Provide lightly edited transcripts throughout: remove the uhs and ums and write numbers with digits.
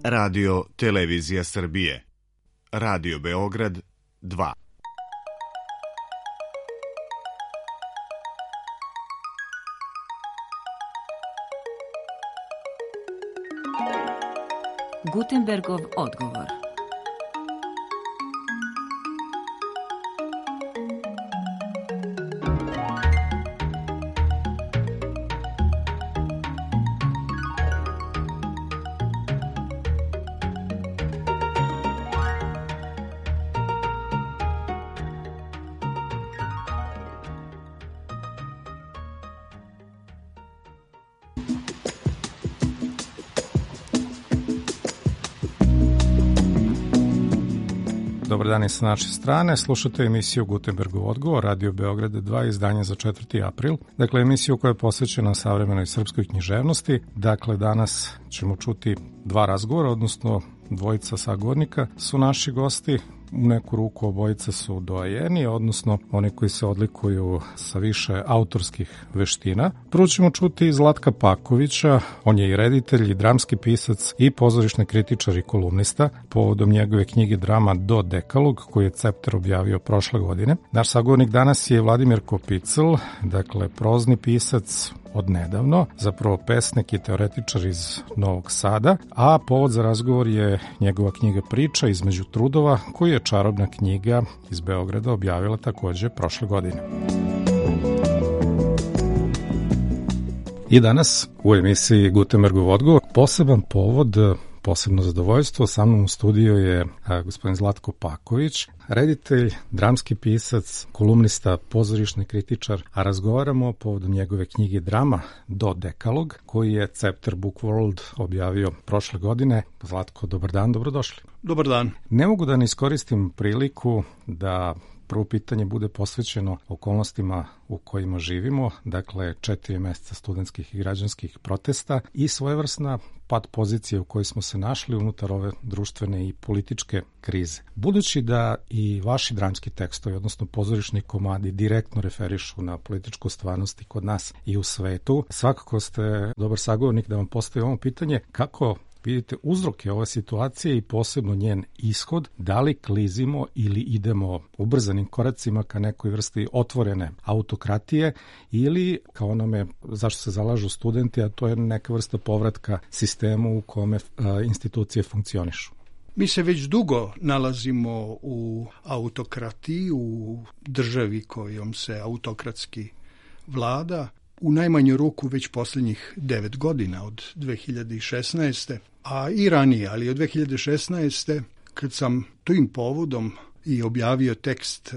Radio Televizija Srbije. Radio Beograd 2. Gutenbergov odgovor. Dobar dan i sa naše strane. Slušate emisiju Gutenbergov odgovor, Radio Beograd 2, izdanje za 4. april. Dakle, emisiju koja je posvećena savremenoj srpskoj književnosti. Dakle, danas ćemo čuti dva razgovora, odnosno dvojica sagovornika su naši gosti. U neku ruku obojica su doajeni, odnosno oni koji se odlikuju sa više autorskih veština. Prvo ćemo čuti Zlatka Pakovića, on je i reditelj, i dramski pisac, i pozorišni kritičar i kolumnista, povodom njegove knjige Drama do Dekalog, koju je Cepter objavio prošle godine. Naš sagovornik danas je Vladimir Kopicl, dakle prozni pisac od nedavno, zapravo pesnik i teoretičar iz Novog Sada, a povod za razgovor je njegova knjiga Priča između trudova, koju je čarobna knjiga iz Beograda objavila takođe prošle godine. I danas u emisiji Gutenbergov odgovor poseban povod, posebno zadovoljstvo. Sa mnom u studiju je gospodin Zlatko Paković, reditelj, dramski pisac, kolumnista, pozorišni kritičar, a razgovaramo povodom njegove knjige Drama do Dekalog, koji je Cepter Book World objavio prošle godine. Zlatko, dobar dan, dobrodošli. Dobar dan. Ne mogu da ne iskoristim priliku da prvo pitanje bude posvećeno okolnostima u kojima živimo, dakle 4 meseca studentskih i građanskih protesta i svojevrsna pad pozicije u kojoj smo se našli unutar ove društvene i političke krize. Budući da i vaši dramski tekstovi, odnosno pozorišni komadi, direktno referišu na političku stvarnost i kod nas i u svetu, svakako ste dobar sagovornik da vam postavim ovo pitanje: kako vidite uzroke ove situacije i posebno njen ishod, da li klizimo ili idemo ubrzanim koracima ka nekoj vrsti otvorene autokratije ili kao onome zašto se zalažu studenti, a to je neka vrsta povratka sistemu u kome institucije funkcionišu? Mi se već dugo nalazimo u autokratiji, u državi kojom se autokratski vlada, u najmanju ruku već posljednjih 9 godina od 2016. A i ranije, ali od 2016. kad sam tim povodom i objavio tekst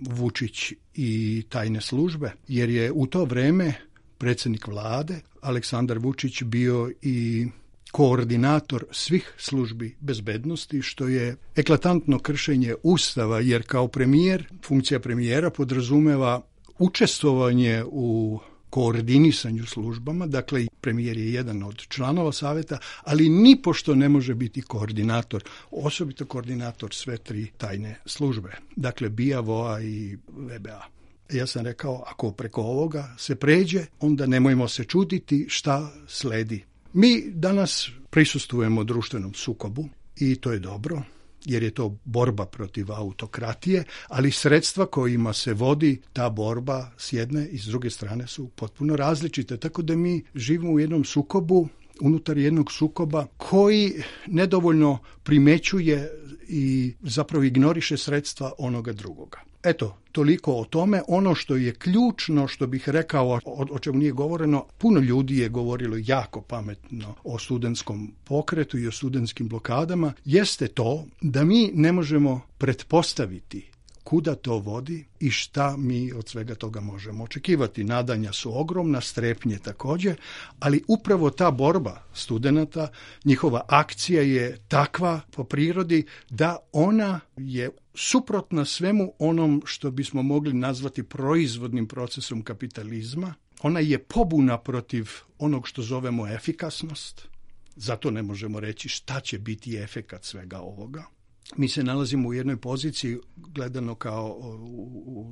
Vučić i tajne službe, jer je u to vreme predsjednik vlade Aleksandar Vučić bio i koordinator svih službi bezbednosti, što je eklatantno kršenje Ustava, jer kao premijer, funkcija premijera podrazumeva učestvovanje u koordinisanju službama, dakle premijer je jedan od članova saveta, ali nipošto ne može biti koordinator, osobito koordinator sve 3 tajne službe, dakle BIA, VOA i VBA. Ja sam rekao, ako preko ovoga se pređe, onda nemojmo se čuditi šta sledi. Mi danas prisustvujemo društvenom sukobu i to je dobro, jer je to borba protiv autokratije, ali sredstva kojima se vodi ta borba s jedne i s druge strane su potpuno različite, tako da mi živimo u jednom sukobu, unutar jednog sukoba koji nedovoljno primećuje i zapravo ignoriše sredstva onoga drugoga. Eto, toliko o tome. Ono što je ključno, što bih rekao, o čemu nije govoreno, puno ljudi je govorilo jako pametno o studentskom pokretu i o studentskim blokadama, jeste to da mi ne možemo pretpostaviti kuda to vodi i šta mi od svega toga možemo očekivati. Nadanja su ogromna, strepnje također, ali upravo ta borba studenata, njihova akcija je takva po prirodi da ona je suprotna svemu onom što bismo mogli nazvati proizvodnim procesom kapitalizma. Ona je pobuna protiv onog što zovemo efikasnost. Zato ne možemo reći šta će biti efekat svega ovoga. mi se nalazimo u jednoj poziciji, gledano kao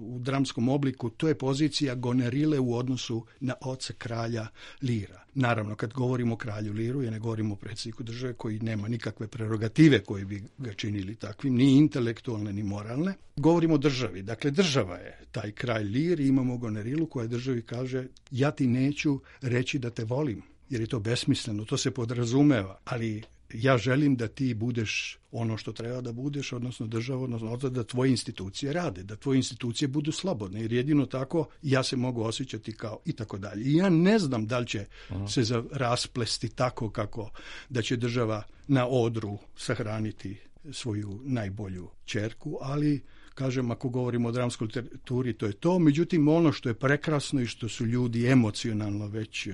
u dramskom obliku, to je pozicija Gonerile u odnosu na oca kralja Lira. Naravno, kad govorimo o kralju Liru, ja ne govorimo o predsjedniku države koji nema nikakve prerogative koje bi ga činili takvim, ni intelektualne, ni moralne. Govorimo o državi. Dakle, država je taj kralj Lir i imamo Gonerilu koja državi kaže ja ti neću reći da te volim, jer je to besmisleno, to se podrazumeva, ali ja želim da ti budeš ono što treba da budeš, odnosno država, odnosno da tvoje institucije rade, da tvoje institucije budu slobodne, jer jedino tako ja se mogu osjećati kao i tako dalje. I ja ne znam da li će se rasplesti tako kako da će država na odru sahraniti svoju najbolju ćerku, ali kažem, ako govorimo o dramskoj literaturi, to je to. Međutim, ono što je prekrasno i što su ljudi emocionalno već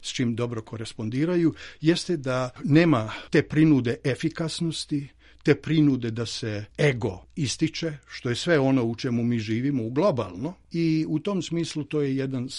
s čim dobro korespondiraju, jeste da nema te prinude efikasnosti, te prinude da se ego ističe, što je sve ono u čemu mi živimo globalno, i u tom smislu to je jedan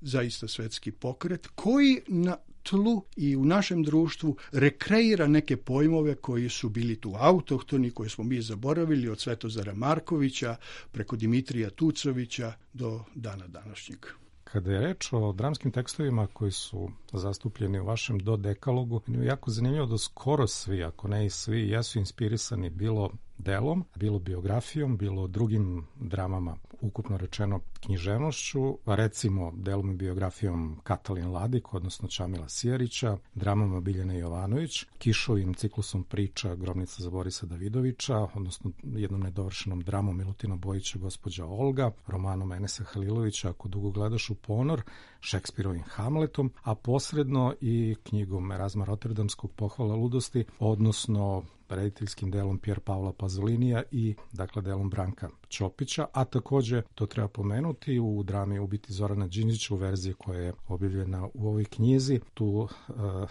zaista svetski pokret koji na tlu i u našem društvu rekreira neke pojmove koji su bili tu autohtoni, koje smo mi zaboravili od Svetozara Markovića preko Dimitrija Tucovića do dana današnjeg. Kada je reč o dramskim tekstovima koji su zastupljeni u vašem dodekalogu, je jako zanimljivo da skoro svi, ako ne i svi, jesu inspirisani bilo delom, bilo biografijom, bilo drugim dramama, ukupno rečeno književnošću, recimo delom i biografijom Katalin Ladik, odnosno Čamila Sijarića, dramama Biljane Jovanović, Kišovim ciklusom priča Grobnica za Borisa Davidovića, odnosno jednom nedovršenom dramom Milutina Bojića Gospođa Olga, romanom Enesa Halilovića Ako dugo gledaš u ponor, Šekspirovim Hamletom, a posredno i knjigom Erazma Rotterdamskog Pohvala ludosti, odnosno rediteljskim delom Pier Paola Pazolinija i dakle delom Branka Ćopića, a takođe to treba pomenuti u drami Ubiti Zorana Đinđića u verziji koja je objavljena u ovoj knjizi. Tu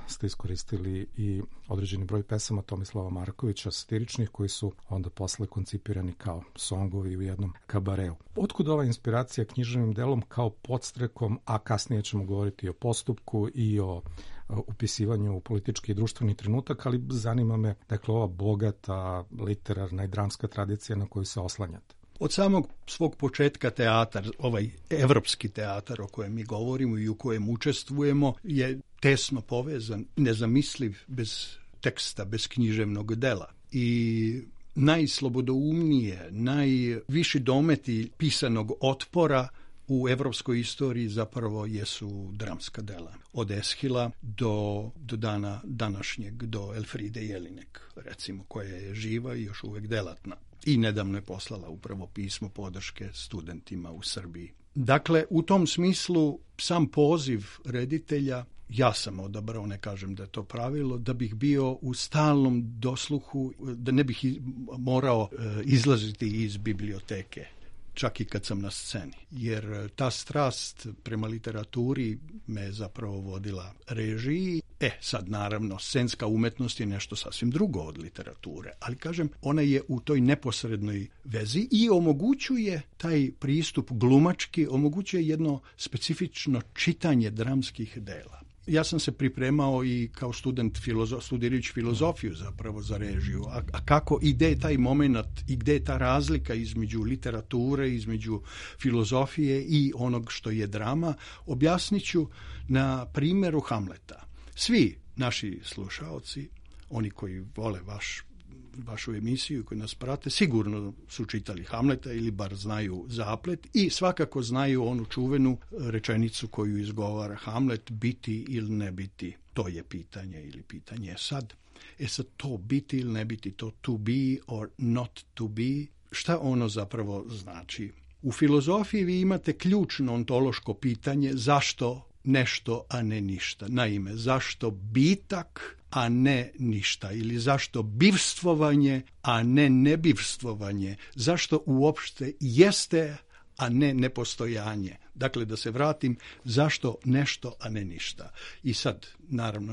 ste iskoristili i određeni broj pesama Tomislava Markovića satiričnih koji su onda posle koncipirani kao songovi u jednom kabareu. Otkud ova inspiracija književnim delom kao podstrekom, a kasnije ćemo govoriti o postupku i o upisivanju u politički i društveni trenutak, ali zanima me, dakle, ova bogata literarna i dramska tradicija na koju se oslanjate. Od samog svog početka teatar, ovaj evropski teatar o kojem mi govorimo i u kojem učestvujemo, je tesno povezan, nezamisliv bez teksta, bez književnog dela. I najslobodoumnije, najviši dometi pisanog otpora u evropskoj istoriji zapravo jesu dramska dela. Od Eshila do dana današnjeg, do Elfride Jelinek, recimo, koja je živa i još uvek delatna. I nedavno je poslala upravo pismo podrške studentima u Srbiji. Dakle, u tom smislu sam poziv reditelja, ja sam odabrao, ne kažem da je to pravilo, da bih bio u stalnom dosluhu, da ne bih morao izlaziti iz biblioteke, čak i kad sam na sceni. Jer ta strast prema literaturi me zapravo vodila režiji. Sad naravno, scenska umetnost je nešto sasvim drugo od literature, ali kažem, ona je u toj neposrednoj vezi i omogućuje taj pristup glumački, omogućuje jedno specifično čitanje dramskih dela. Ja sam se pripremao i kao student studirajući filozofiju zapravo za režiju. A kako i gde je taj moment i gde je ta razlika između literature, između filozofije i onog što je drama, objasnit ću na primjeru Hamleta. Svi naši slušaoci, oni koji vole vašu emisiju, koji nas prate, sigurno su čitali Hamleta ili bar znaju zaplet i svakako znaju onu čuvenu rečenicu koju izgovara Hamlet: biti ili ne biti, to je pitanje ili pitanje je sad. Sad to biti ili ne biti, to to be or not to be, šta ono zapravo znači? U filozofiji vi imate ključno ontološko pitanje zašto nešto, a ne ništa. Naime, zašto bitak, a ne ništa? Ili zašto bivstvovanje, a ne nebivstvovanje? Zašto uopšte jeste, a ne nepostojanje. Dakle, da se vratim zašto nešto, a ne ništa. I sad, naravno,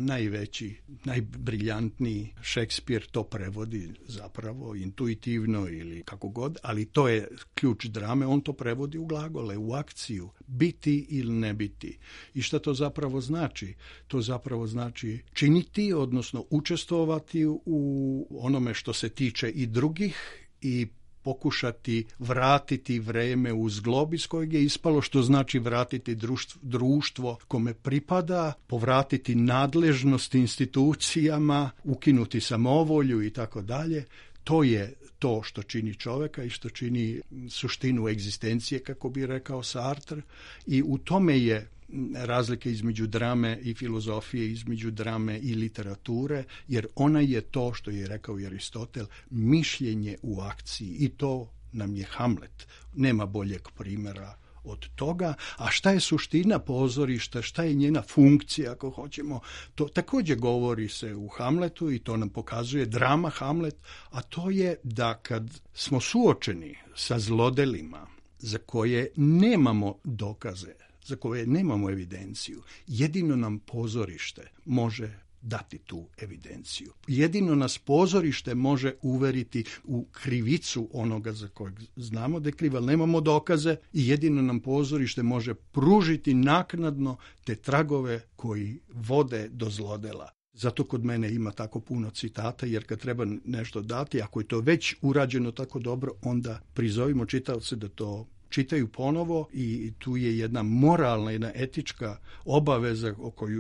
najbriljantniji Šekspir to prevodi zapravo intuitivno ili kako god, ali to je ključ drame, on to prevodi u glagole, u akciju, biti ili ne biti. I šta to zapravo znači? To zapravo znači činiti, odnosno učestvovati u onome što se tiče i drugih i pokušati vratiti vreme u zglob iz kojeg je ispalo, što znači vratiti društvo kome pripada, povratiti nadležnost institucijama, ukinuti samovolju i tako dalje. To je to što čini čoveka i što čini suštinu egzistencije, kako bi rekao Sartre, i u tome je razlike između drame i filozofije, između drame i literature, jer ona je to što je rekao i Aristotel, mišljenje u akciji, i to nam je Hamlet. Nema boljeg primjera od toga. A šta je suština pozorišta, šta je njena funkcija, ako hoćemo, to također govori se u Hamletu i to nam pokazuje drama Hamlet, a to je da kad smo suočeni sa zlodelima za koje nemamo dokaze, za koje nemamo evidenciju, jedino nam pozorište može dati tu evidenciju. Jedino nas pozorište može uveriti u krivicu onoga za kojeg znamo da je kriv, ali nemamo dokaze, i jedino nam pozorište može pružiti naknadno te tragove koji vode do zlodela. Zato kod mene ima tako puno citata, jer kad treba nešto dati, ako je to već urađeno tako dobro, onda prizovimo čitaoce da to čitaju ponovo, i tu je jedna moralna, jedna etička obaveza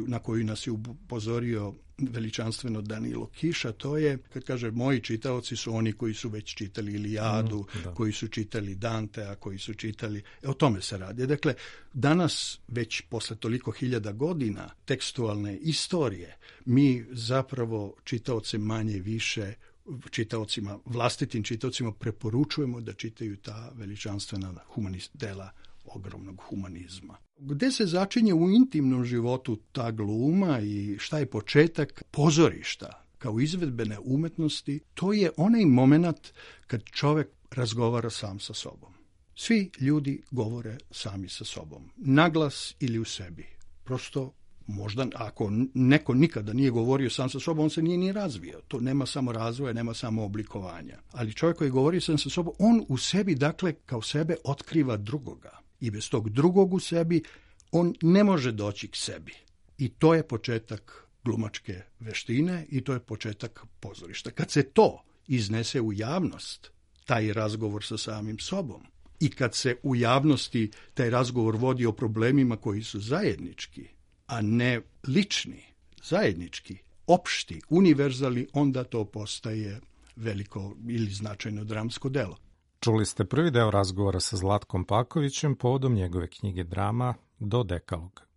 na koju nas je upozorio veličanstveno Danilo Kiša. To je, kad kaže moji čitaoci su oni koji su već čitali Ilijadu, koji su čitali Dantea, koji su čitali, o tome se radi. Dakle, danas, već posle toliko hiljada godina tekstualne istorije, mi zapravo čitaoce manje više vlastitim čitaocima preporučujemo da čitaju ta veličanstvena dela ogromnog humanizma. Gde se začinje u intimnom životu ta gluma i šta je početak pozorišta kao izvedbene umetnosti? To je onaj moment kad čovjek razgovara sam sa sobom. Svi ljudi govore sami sa sobom, naglas ili u sebi. Prosto možda ako neko nikada nije govorio sam sa sobom, on se nije ni razvio. To nema samo razvoja, nema samo oblikovanja. Ali čovjek koji govori sam sa sobom, on u sebi, dakle, kao sebe otkriva drugoga. I bez tog drugog u sebi, on ne može doći k sebi. I to je početak glumačke veštine i to je početak pozorišta. Kad se to iznese u javnost, taj razgovor sa samim sobom, i kad se u javnosti taj razgovor vodi o problemima koji su zajednički, a ne lični, zajednički, opšti, univerzalni, onda to postaje veliko ili značajno dramsko delo. Čuli ste prvi deo razgovora sa Zlatkom Pakovićem povodom njegove knjige Drama do dekaloga.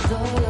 Though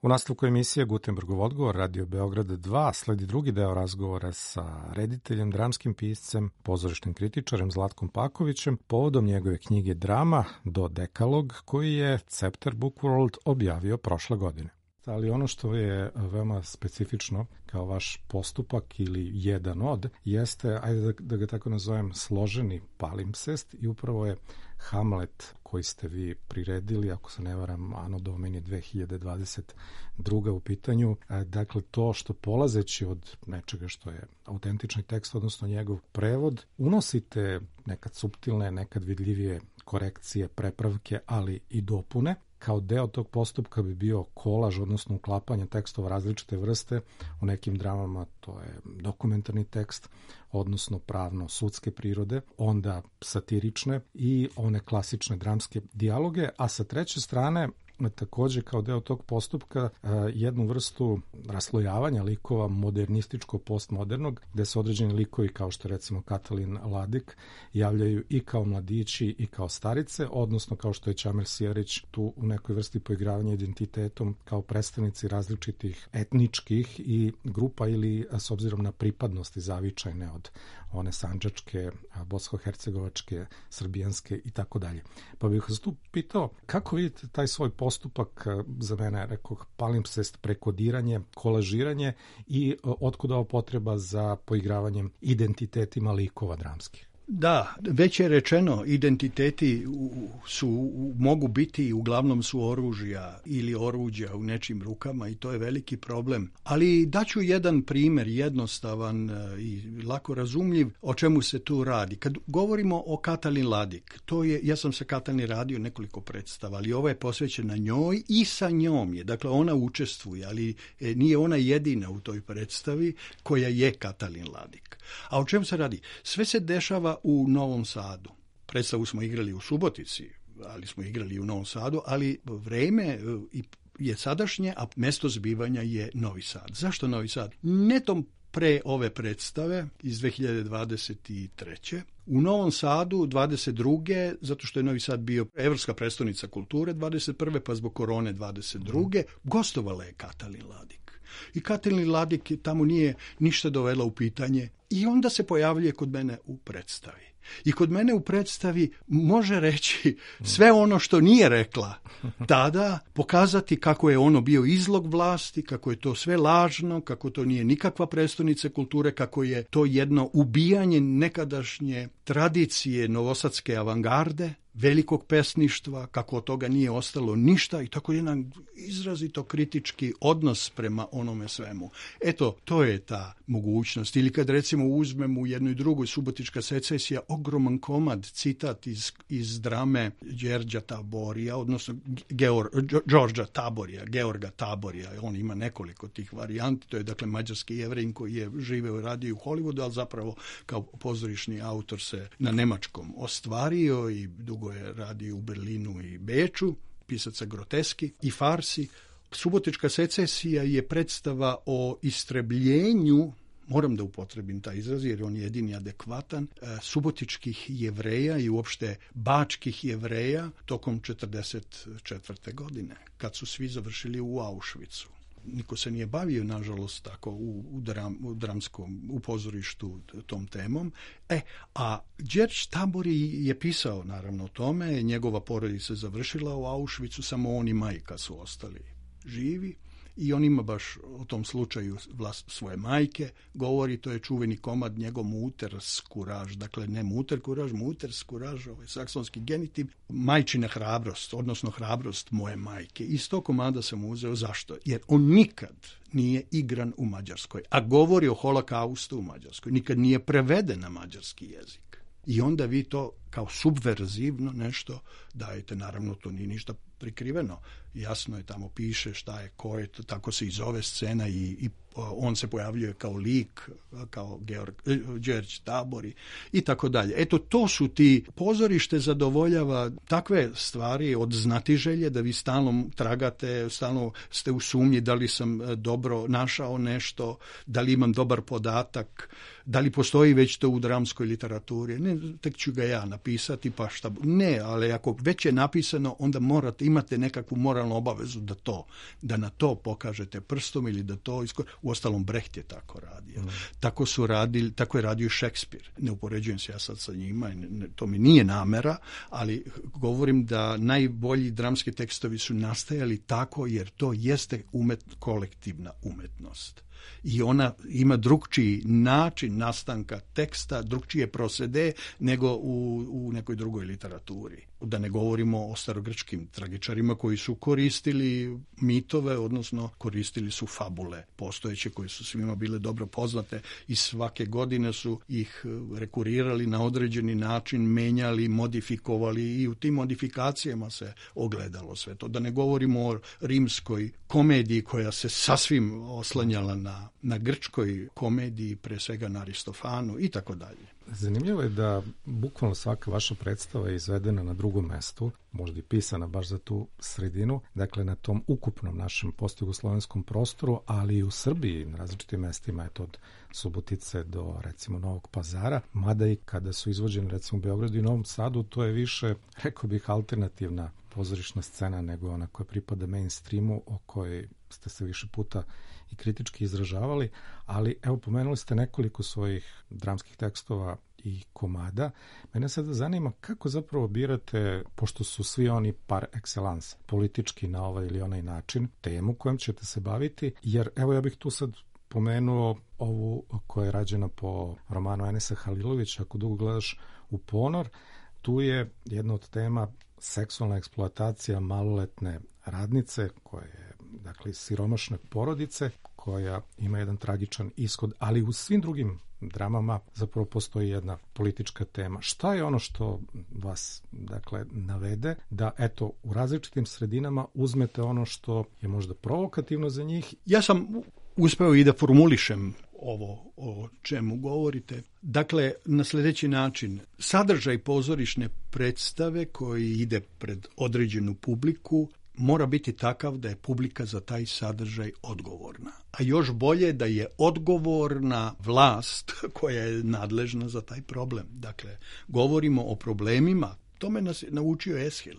U nastavku emisije Gutenbergov odgovor Radio Beograd 2 sledi drugi deo razgovora sa rediteljem, dramskim piscem, pozorišnim kritičarem Zlatkom Pakovićem povodom njegove knjige Drama do Dekalog koji je Cepter Bookworld objavio prošle godine. Ali ono što je veoma specifično kao vaš postupak ili jedan od, jeste, ajde da ga tako nazovem, složeni palimpsest i upravo je Hamlet koji ste vi priredili, ako se ne varam, Anno Domini 2022. u pitanju. Dakle, to što polazeći od nečega što je autentični tekst, odnosno njegov prevod, unosite nekad suptilne, nekad vidljivije korekcije, prepravke, ali i dopune. Kao deo tog postupka bi bio kolaž, odnosno uklapanje tekstova različite vrste. U nekim dramama to je dokumentarni tekst, odnosno pravno-sudske prirode, onda satirične i one klasične dramske dijaloge, a sa treće strane takođe kao deo tog postupka jednu vrstu raslojavanja likova modernističko-postmodernog, gde se određeni likovi kao što recimo Katalin Ladik javljaju i kao mladići i kao starice, odnosno kao što je Ćamil Sjerić tu u nekoj vrsti poigravanja identitetom kao predstavnici različitih etničkih i grupa ili s obzirom na pripadnosti zavičajne od one sandžačke, bosansko-hercegovačke, srbijanske i tako dalje. Pa bih vas tu pitao kako vidite taj svoj postupak, za mene rekoh palimpsest, prekodiranje, kolažiranje i otkud ova potreba za poigravanjem identitetima likova dramskih? Da, već je rečeno, identiteti mogu biti, uglavnom su oružja ili oruđa u nečim rukama i to je veliki problem. Ali daću jedan primjer, jednostavan i lako razumljiv, o čemu se tu radi. Kad govorimo o Katalin Ladik, ja sam sa Katalin radio nekoliko predstava, ali ovo je posvećena njoj i sa njom je. Dakle, ona učestvuje, ali nije ona jedina u toj predstavi koja je Katalin Ladik. A o čemu se radi? Sve se dešava u Novom Sadu. Predstavu smo igrali u Subotici, ali smo igrali i u Novom Sadu, ali vreme je sadašnje, a mesto zbivanja je Novi Sad. Zašto Novi Sad? Netom pre ove predstave iz 2023. U Novom Sadu 22. zato što je Novi Sad bio evropska prestonica kulture 21. pa zbog korone 22. Gostovala je Katalin Ladik. I Katalin Ladik tamo nije ništa dovela u pitanje i onda se pojavljuje kod mene u predstavi. I kod mene u predstavi može reći sve ono što nije rekla tada, pokazati kako je ono bio izlog vlasti, kako je to sve lažno, kako to nije nikakva prestonica kulture, kako je to jedno ubijanje nekadašnje tradicije novosadske avangarde, velikog pesništva, kako od toga nije ostalo ništa i tako jedan izrazito kritički odnos prema onome svemu. Eto, to je ta mogućnost. Ili kad recimo uzmemo u jednoj drugoj Subotička secesija, ogroman komad, citat iz drame Đerđa Taborija, odnosno Đorđa Taborija, Georga Taborija. On ima nekoliko tih varijanti. To je dakle mađarski Jevrejin koji je živeo i radio u Hollywoodu, ali zapravo kao pozorišni autor se na nemačkom ostvario i dugo je radio u Berlinu i Beču, pisaca groteski i farsi. Subotička secesija je predstava o istrebljenju, moram da upotrebim taj izraz jer on je jedini adekvatan, subotičkih Jevreja i uopšte bačkih Jevreja tokom 1944. godine, kad su svi završili u Auschwitzu. Niko se nije bavio, nažalost, tako u dramskom, u pozorištu tom temom. A Đerđ Tabori je pisao, naravno, o tome. Njegova porodica se završila u Auschwitzu, samo on i majka su ostali živi. I on ima baš o tom slučaju svoje majke, govori, to je čuveni komad njegov Muters kuraž, dakle ne Muter kuraž, Muters kuraž, ovaj saksonski genitiv, majčina hrabrost, odnosno hrabrost moje majke. Iz tog komada sam uzeo, zašto? Jer on nikad nije igran u Mađarskoj, a govori o holokaustu u Mađarskoj, nikad nije preveden na mađarski jezik. I onda vi to kao subverzivno nešto dajete, naravno to nije ništa prikriveno, jasno je, tamo piše šta je, ko je, tako se i zove scena i on se pojavljuje kao lik, kao Đerđ Tabori i tako dalje. Eto, to su ti, pozorište zadovoljava takve stvari od znatiželje, da vi stalno tragate, stalno ste u sumnji da li sam dobro našao nešto, da li imam dobar podatak, da li postoji već to u dramskoj literaturi. Ne, tek ću ga ja napisati, pa šta. Ne, ali ako već je napisano, onda imate nekakvu moralnu obavezu da na to pokažete prstom ili da to uostalom Brecht je tako radio. Tako je radio Šekspir. Ne upoređujem se ja sad sa njima, to mi nije namera, ali govorim da najbolji dramski tekstovi su nastajali tako jer to jeste kolektivna umetnost. I ona ima drugčiji način nastanka teksta, drugčije procede nego u nekoj drugoj literaturi. Da ne govorimo o starogrčkim tragičarima koji su koristili mitove, odnosno koristili su fabule postojeće koje su svima bile dobro poznate i svake godine su ih rekurirali na određeni način, menjali, modifikovali i u tim modifikacijama se ogledalo sve to. Da ne govorimo o rimskoj komediji koja se sasvim oslanjala na grčkoj komediji, pre svega na Aristofanu i tako dalje. Zanimljivo je da bukvalno svaka vaša predstava je izvedena na drugom mestu, možda i pisana baš za tu sredinu, dakle na tom ukupnom našem postjugoslovenskom prostoru, ali i u Srbiji na različitim mestima, je to od Subotice do recimo Novog Pazara, mada i kada su izvođeni recimo u Beogradu i Novom Sadu, to je više, rekao bih, alternativna pozorišna scena nego ona koja pripada mainstreamu, o kojoj ste se više puta i kritički izražavali, ali evo, pomenuli ste nekoliko svojih dramskih tekstova i komada. Mene sada zanima kako zapravo birate, pošto su svi oni par excellence, politički na ovaj ili onaj način, temu kojom ćete se baviti, jer evo ja bih tu sad pomenuo ovu koja je rađena po romanu Enesa Halilovića, Ako dugo gledaš u ponor, tu je jedna od tema seksualna eksploatacija maloletne radnice, koja je, dakle, siromašne porodice, koja ima jedan tragičan ishod, ali u svim drugim dramama zapravo postoji jedna politička tema. Šta je ono što vas, dakle, navede da, eto, u različitim sredinama uzmete ono što je možda provokativno za njih? Ja sam uspeo i da formulišem ovo o čemu govorite. Dakle, na sljedeći način, sadržaj pozorišne predstave koji ide pred određenu publiku mora biti takav da je publika za taj sadržaj odgovorna. A još bolje da je odgovorna vlast koja je nadležna za taj problem. Dakle, govorimo o problemima. Tome nas je naučio Eshil.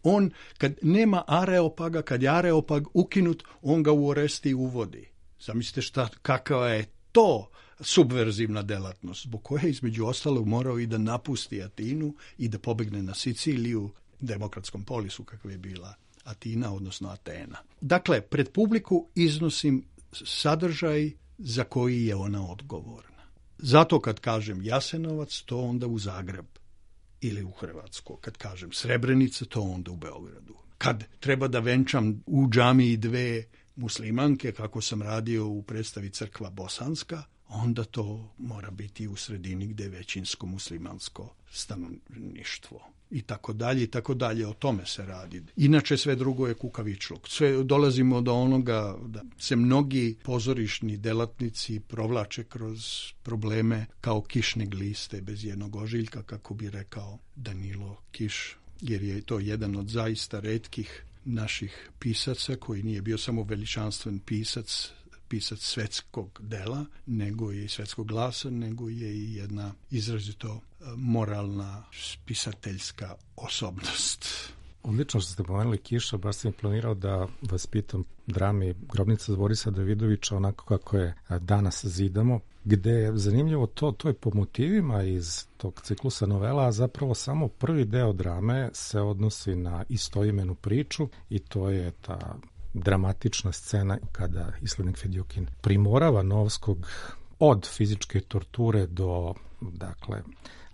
On, kad nema areopaga, kad je areopag ukinut, on ga u Oresti uvodi. Zamislite kakva je to subverzivna delatnost, zbog koje između ostalog morao i da napusti Atinu i da pobegne na Siciliju, demokratskom polisu kakva je bila Atina, odnosno Atena. Dakle, pred publiku iznosim sadržaj za koji je ona odgovorna. Zato kad kažem Jasenovac, to onda u Zagreb ili u Hrvatsku. Kad kažem Srebrenica, to onda u Beogradu. Kad treba da venčam u džamiji dve muslimanke, kako sam radio u predstavi Crkva Bosanska, onda to mora biti u sredini gde je većinsko muslimansko stanovništvo. I tako dalje, o tome se radi. Inače sve drugo je kukavičluk. Sve dolazimo do onoga da se mnogi pozorišni delatnici provlače kroz probleme kao kišne gliste bez jednog ožiljka, kako bi rekao Danilo Kiš, jer je to jedan od zaista retkih naših pisaca koji nije bio samo veličanstven pisac svetskog dela, nego i svetskog glasa, nego je i jedna izrazito moralna spisateljska osobnost. Odlično što ste pomenuli Kiša, baš sam planirao da vas pitam drami Grobnica Borisa Davidovića, onako kako je danas zidamo, gde je zanimljivo to je po motivima iz tog ciklusa novela, a zapravo samo prvi deo drame se odnosi na istoimenu priču i to je ta dramatična scena kada islednik Fedjukin primorava Novskog od fizičke torture do, dakle,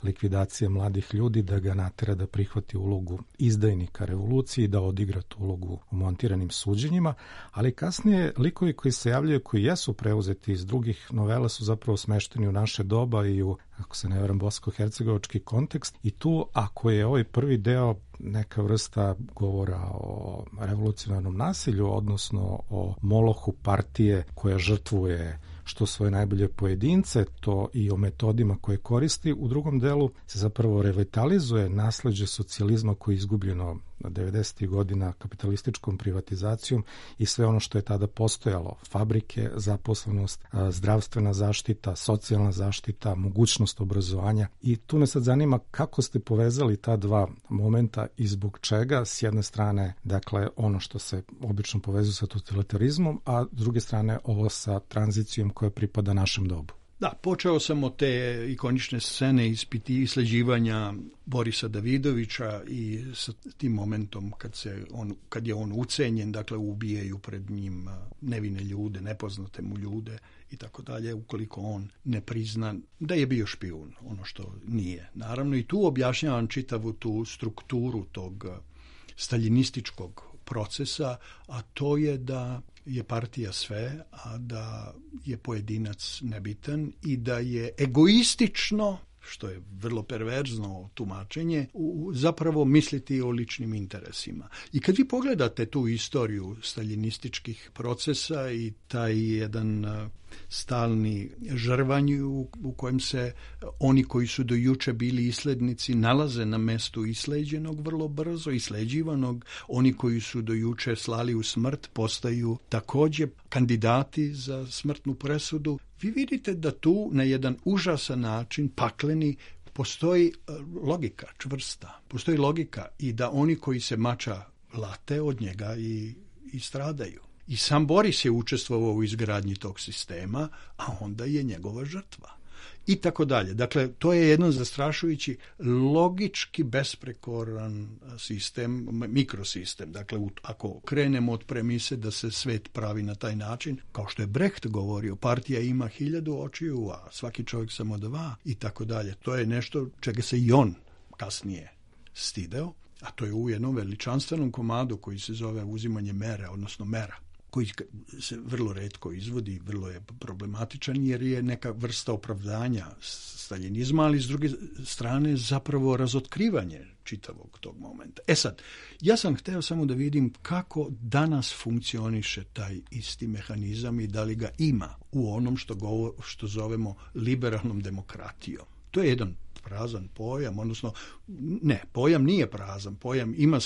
likvidacije mladih ljudi, da ga natera da prihvati ulogu izdajnika revolucije i da odigra tu ulogu u montiranim suđenjima, ali kasnije likovi koji se javljaju, koji jesu preuzeti iz drugih novela, su zapravo smešteni u naše doba i u, ako se ne varam, bosansko-hercegovački kontekst. I tu, ako je ovaj prvi deo neka vrsta govora o revolucionarnom nasilju, odnosno o molohu partije koja žrtvuje što svoje najbolje pojedince, to i o metodima koje koristi, u drugom delu se zapravo revitalizuje nasleđe socijalizma koje je izgubljeno 90. godina kapitalističkom privatizacijom i sve ono što je tada postojalo. Fabrike, zaposlenost, zdravstvena zaštita, socijalna zaštita, mogućnost obrazovanja. I tu me sad zanima kako ste povezali ta dva momenta i zbog čega, s jedne strane, dakle, ono što se obično povezuje sa totalitarizmom, a s druge strane ovo sa tranzicijom koja pripada našem dobu. Da, počeo sam od te ikonične scene isleđivanja Borisa Davidovića i sa tim momentom kad je on ucenjen, dakle ubijaju pred njim nevine ljude, nepoznate mu ljude i tako dalje, ukoliko on ne prizna da je bio špijun, ono što nije. Naravno i tu objašnjavam čitavu tu strukturu tog staljinističkog procesa, a to je da je partija sve, a da je pojedinac nebitan i da je egoistično, što je vrlo perverzno tumačenje, zapravo misliti o ličnim interesima. I kad vi pogledate tu istoriju staljinističkih procesa i taj jedan stalni žrvanj u kojem se oni koji su do juče bili islednici nalaze na mestu isleđenog vrlo brzo, isleđivanog, oni koji su do juče slali u smrt postaju također kandidati za smrtnu presudu. Vi vidite da tu na jedan užasan način, pakleni, postoji logika čvrsta. Postoji logika i da oni koji se mača late od njega i stradaju. I sam Boris je učestvovao u izgradnji tog sistema, a onda je njegova žrtva. I tako dalje. Dakle, to je jedan zastrašujući, logički besprekoran sistem, mikrosistem. Dakle, ako krenemo od premise da se svet pravi na taj način, kao što je Brecht govorio, partija ima 1000 očiju, a svaki čovjek samo 2 i tako dalje. To je nešto čega se i on kasnije stideo, a to je u jednom veličanstvenom komadu koji se zove uzimanje mere, odnosno mera, koji se vrlo retko izvodi, vrlo je problematičan jer je neka vrsta opravdanja staljinizma, ali s druge strane zapravo razotkrivanje čitavog tog momenta. E sad, ja sam hteo samo da vidim kako danas funkcioniše taj isti mehanizam i da li ga ima u onom što zovemo liberalnom demokratijom. To je jedan prazan pojam, odnosno ne, pojam nije prazan, pojam ima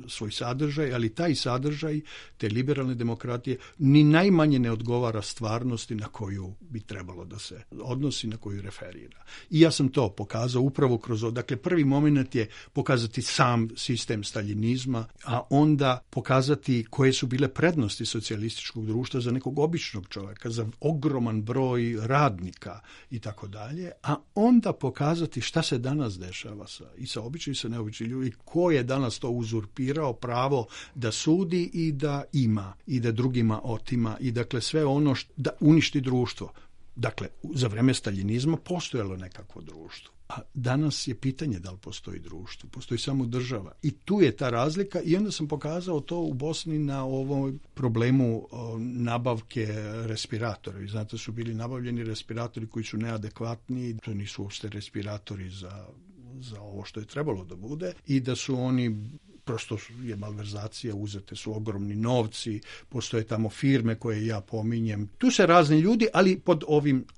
svoj sadržaj, ali taj sadržaj te liberalne demokratije ni najmanje ne odgovara stvarnosti na koju bi trebalo da se odnosi, na koju referira. I ja sam to pokazao upravo kroz, dakle prvi moment je pokazati sam sistem staljinizma, a onda pokazati koje su bile prednosti socijalističkog društva za nekog običnog čovjeka, za ogroman broj radnika i tako dalje, a onda pokazati šta se danas dešava i sa običnim i sa neobičnim ljudi, ko je danas to uzurpirao pravo da sudi i da ima i da drugima otima i dakle sve ono da uništi društvo. Dakle, za vreme staljinizma postojalo nekakvo društvo. A danas je pitanje da li postoji društvo, postoji samo država. I tu je ta razlika i onda sam pokazao to u Bosni na ovom problemu nabavke respiratora. Vi znate, su bili nabavljeni respiratori koji su neadekvatni, to nisu uopšte respiratori za ovo što je trebalo da bude i da su oni prosto je malverzacija, uzete su ogromni novci, postoje tamo firme koje ja pominjem. Tu se razni ljudi, ali pod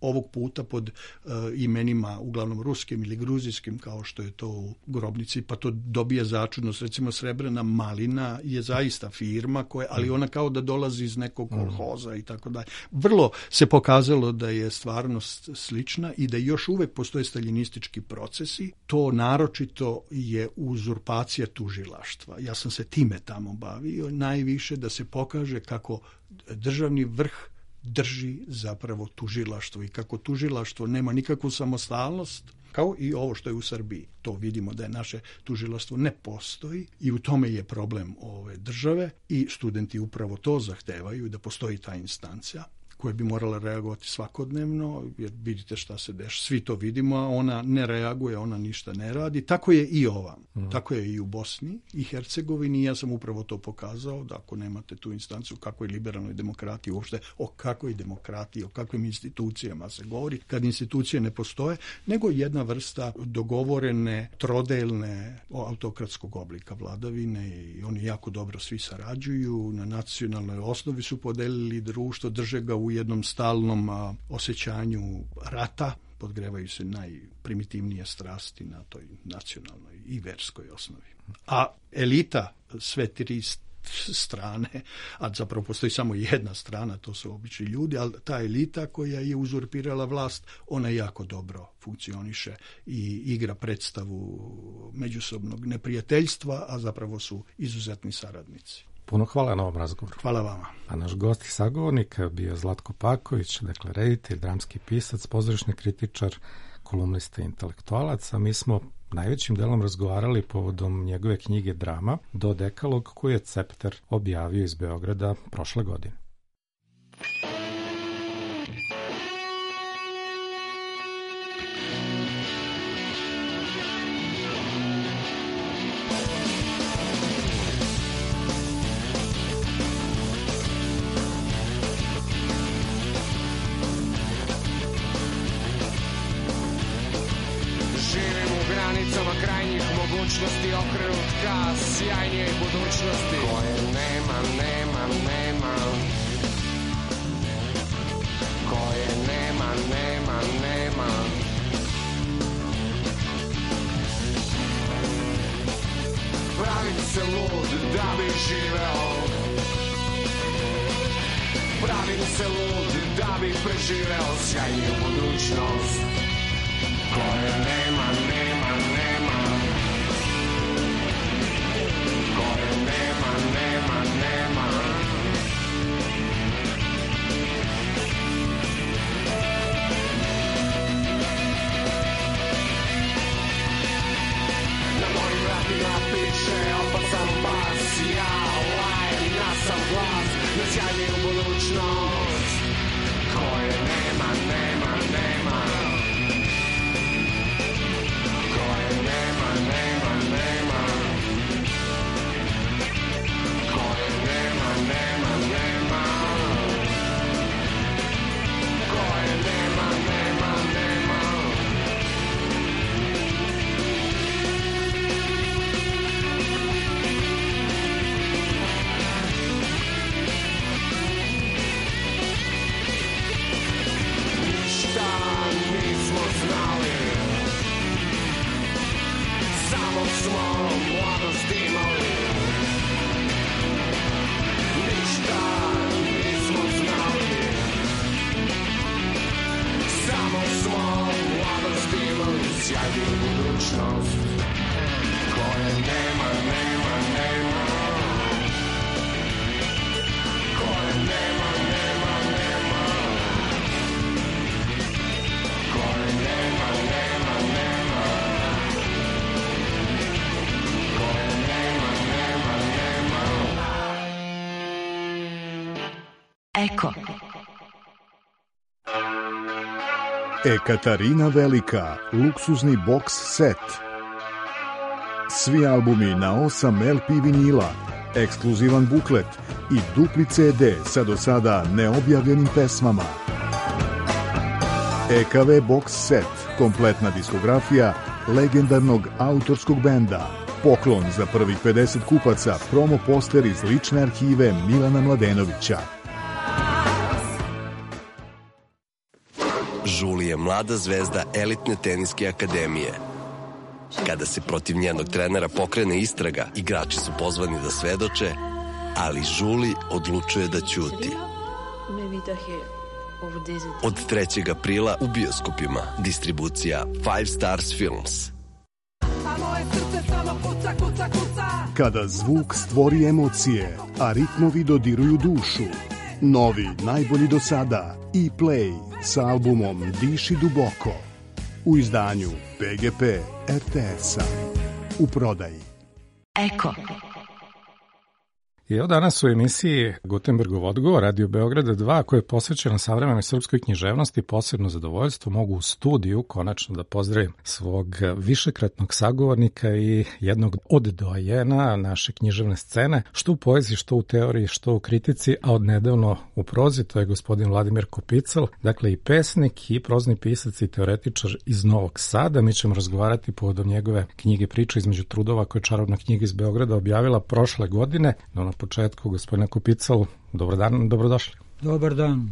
ovog puta pod imenima uglavnom ruskim ili gruzijskim, kao što je to u Grobnici, pa to dobije začudnost. Recimo Srebrena malina je zaista firma koja, ali ona kao da dolazi iz nekog kolhoza i tako dalje. Vrlo se pokazalo da je stvarnost slična i da još uvek postoje staljinistički procesi. To naročito je uzurpacija tužilaštva. Ja sam se time tamo bavio najviše da se pokaže kako državni vrh drži zapravo tužilaštvo i kako tužilaštvo nema nikakvu samostalnost, kao i ovo što je u Srbiji. To vidimo da je naše tužilaštvo ne postoji i u tome je problem ove države i studenti upravo to zahtevaju da postoji ta instancija koja bi morala reagovati svakodnevno, jer vidite šta se dešava, svi to vidimo, a ona ne reaguje, ona ništa ne radi. Tako je i ova, tako je i u Bosni i Hercegovini. Ja sam upravo to pokazao, da ako nemate tu instancu, o kakvoj liberalnoj demokratiji, uopšte o kakvoj demokratiji, o kakvim institucijama se govori, kad institucije ne postoje, nego jedna vrsta dogovorene, trodelne autokratskog oblika vladavine, i oni jako dobro svi sarađuju, na nacionalnoj osnovi su podelili društvo, drže ga u jednom stalnom osjećanju rata, podgrevaju se najprimitivnije strasti na toj nacionalnoj i verskoj osnovi. A elita, sve tri strane, a zapravo postoji samo jedna strana, to su obični ljudi, ali ta elita koja je uzurpirala vlast, ona jako dobro funkcioniše i igra predstavu međusobnog neprijateljstva, a zapravo su izuzetni saradnici. Puno hvala na ovom razgovoru. Hvala vama. A naš gost i sagovornik bio Zlatko Paković, dakle reditelj, dramski pisac, pozorišni kritičar, kolumnista i intelektualac, a mi smo najvećim delom razgovarali povodom njegove knjige Drama do dekalog koju je Cepter objavio iz Beograda prošle godine. Okrenut ka sjajnijoj budućnosti koje nema, koje nema. Pravim se lud da bi živeo, pravim se lud da bi preživeo sjajniju budućnost koje nema. Sjajniju budućnost koje nema, koje nema, koje nema, koje nema. Sjajniju budućnost koje nema, koje nema, koje nema, koje nema. Eko. Ekaterina Velika, luksuzni boks set. Svi albumi na 8 LP vinila, ekskluzivan buklet i dupli CD sa do sada neobjavljenim pesmama. EKV box set, kompletna diskografija legendarnog autorskog benda. Poklon za prvih 50 kupaca, promo poster iz lične arhive Milana Mladenovića. Žuli je mlada zvezda elitne teniske akademije. Kada se protiv njenog trenera pokrene istraga, igrači su pozvani da svedoče, ali Žuli odlučuje da ćuti. Od 3. aprila u bioskopima. Distribucija Five Stars Films. Kada zvuk stvori emocije, a ritmovi dodiruju dušu. Novi, najbolji do sada, E-Play sa albumom Diši duboko. U izdanju PGP RTS-a. U prodaji. Eko. I evo danas u emisiji Gutenbergov odgovor Radio Beograda 2 koja je posvećena savremenoj srpskoj književnosti, posebno zadovoljstvo mogu u studiju konačno da pozdravim svog višekratnog sagovornika i jednog od doajena naše književne scene, što u poeziji, što u teoriji, što u kritici, a odnedavno u prozi, to je gospodin Vladimir Kopical, dakle i pesnik i prozni pisac i teoretičar iz Novog Sada. Mi ćemo razgovarati povodom njegove knjige Priča između trudova, koje je Čarobna knjiga iz Beograda objavila prošle godine. No na početku, gospodine Kopical, dobar dan, dobrodošli. Dobar dan.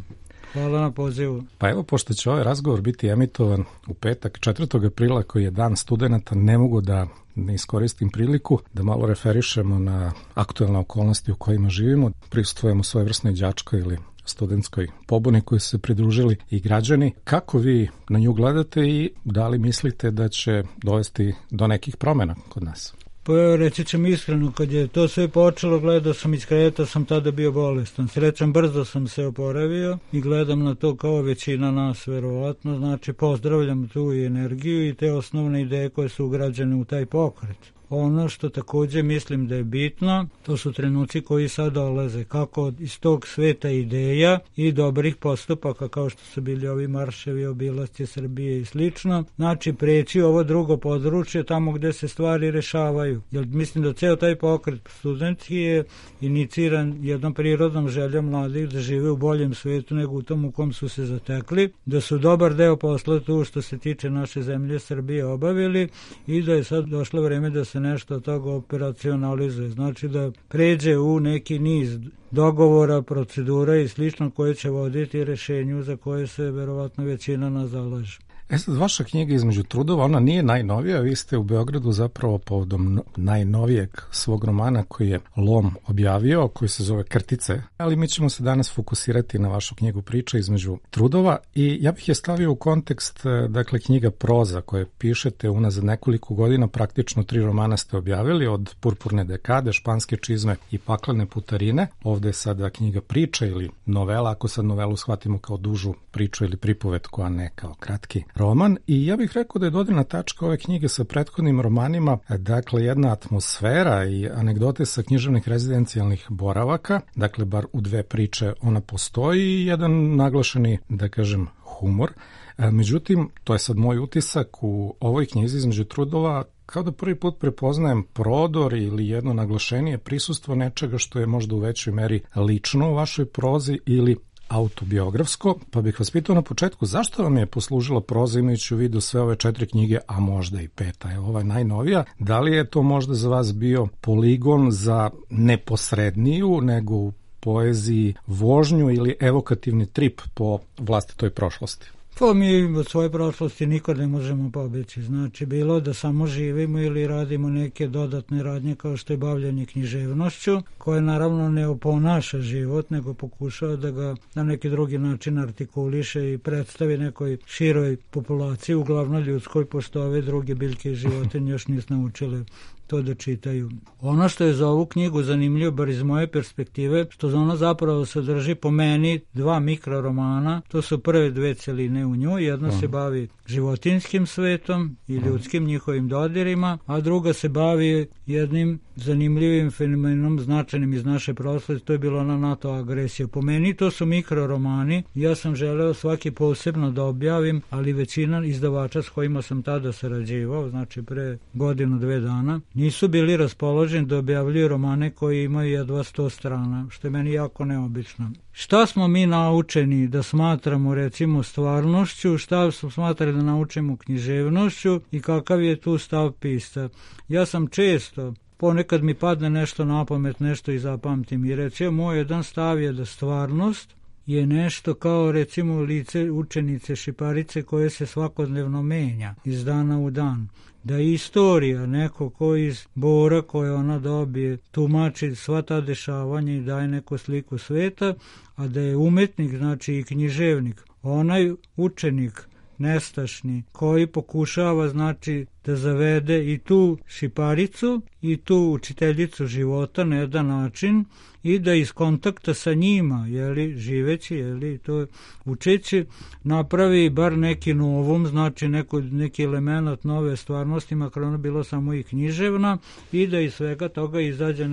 Hvala na pozivu. Pa evo, pošto će ovaj razgovor biti emitovan u petak 4. aprila, koji je dan studenata, ne mogu da ne iskoristim priliku da malo referišemo na aktuelne okolnosti u kojima živimo. Prisustvujemo svojevrsnoj đačkoj ili studentskoj pobuni koji su se pridružili i građani. Kako vi na nju gledate i da li mislite da će dovesti do nekih promjena kod nas? Pa evo, reći ćem iskreno, kad je to sve počelo, gledao sam iz kreta, sam tada bio bolestan. Srećan, brzo sam se oporavio i gledam na to kao većina nas, verovatno. Znači, pozdravljam tu i energiju i te osnovne ideje koje su ugrađene u taj pokret. Ono što također mislim da je bitno, to su trenuci koji sad dolaze, kako iz tog sveta ideja i dobrih postupaka, kao što su bili ovi marševi, obilasci Srbije i slično, znači preći ovo drugo područje tamo gde se stvari rešavaju. Jer mislim da ceo taj pokret studentski je iniciran jednom prirodnom željom mladih da žive u boljem svetu nego u tom u kom su se zatekli, da su dobar deo posla tu što se tiče naše zemlje Srbije obavili i da je sad došlo vreme da se nešto od toga operacionalizuje. Znači da pređe u neki niz dogovora, procedura i slično koje će voditi rešenju za koje se verovatno većina nas zalaže. Sad, vaša knjiga Između trudova, ona nije najnovija, vi ste u Beogradu zapravo povodom najnovijeg svog romana koji je Lom objavio, koji se zove Krtice, ali mi ćemo se danas fokusirati na vašu knjigu Priča između trudova i ja bih je stavio u kontekst, dakle, knjiga proza koje pišete unazad nekoliko godina, praktično 3 romana ste objavili, od Purpurne dekade, Španske čizme i Paklene putarine. Ovde je sada knjiga Priča ili novela, ako sad novelu shvatimo kao dužu priču ili pripovetku, a ne kao kratki roman. I ja bih rekao da je dodirna tačka ove knjige sa prethodnim romanima, dakle, jedna atmosfera i anegdote sa književnih rezidencijalnih boravaka, dakle, bar u 2 priče ona postoji i jedan naglašeni, da kažem, humor. Međutim, to je sad moj utisak u ovoj knjizi Između trudova, kao da prvi put prepoznajem prodor ili jedno naglašenije prisustvo nečega što je možda u većoj meri lično u vašoj prozi ili autobiografsko, pa bih vas pitao na početku zašto vam je poslužila proza imajući u vidu sve ove 4 knjige, a možda i 5, je ova najnovija. Da li je to možda za vas bio poligon za neposredniju nego u poeziji vožnju ili evokativni trip po vlastitoj prošlosti? Pa mi od svoje prošlosti nikad ne možemo pobeći. Znači, bilo da samo živimo ili radimo neke dodatne radnje kao što je bavljanje književnošću, koje naravno ne oponaša život, nego pokušava da ga na neki drugi način artikuliše i predstavi nekoj široj populaciji, uglavnom ljudskoj, pošto ove druge biljke i životinje još nisu naučile to da čitaju. Ono što je za ovu knjigu zanimljivo, bar iz moje perspektive, što ona zapravo sadrži po meni 2 mikroromana, to su prve 2 celine u njoj, jedna se bavi životinskim svetom i ljudskim njihovim dodirima, a druga se bavi jednim zanimljivim fenomenom značajnim iz naše prošlosti, to je bila ona NATO agresija. Po meni to su mikroromani, ja sam želeo svaki posebno da objavim, ali većina izdavača s kojima sam tada sarađivao, znači pre 1-2 dana, nisu bili raspoloženi da objavljuju romane koji imaju jedva 100 strana, što je meni jako neobično. Šta smo mi naučeni da smatramo, recimo, stvarnošću, šta smo smatrali da naučimo književnošću i kakav je tu stav pisca? Ja sam često, ponekad mi padne nešto na pamet, nešto i zapamtim i recimo moj jedan stav je da stvarnost je nešto kao, recimo, lice učenice Šiparice koje se svakodnevno menja iz dana u dan. Da je istorija neko ko iz Bora koje ona dobije tumači sva ta dešavanja i daje neku sliku sveta, a da je umetnik, znači i književnik, onaj učenik nestašni koji pokušava, znači, da zavede i tu šiparicu i tu učiteljicu života na jedan način i da iz kontakta sa njima, živeći, to učeći, napravi bar neki novum, znači neki element nove stvarnosti, makar ona bilo samo i književna, i da iz svega toga izađe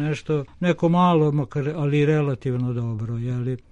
neko malo, makar, ali relativno dobro.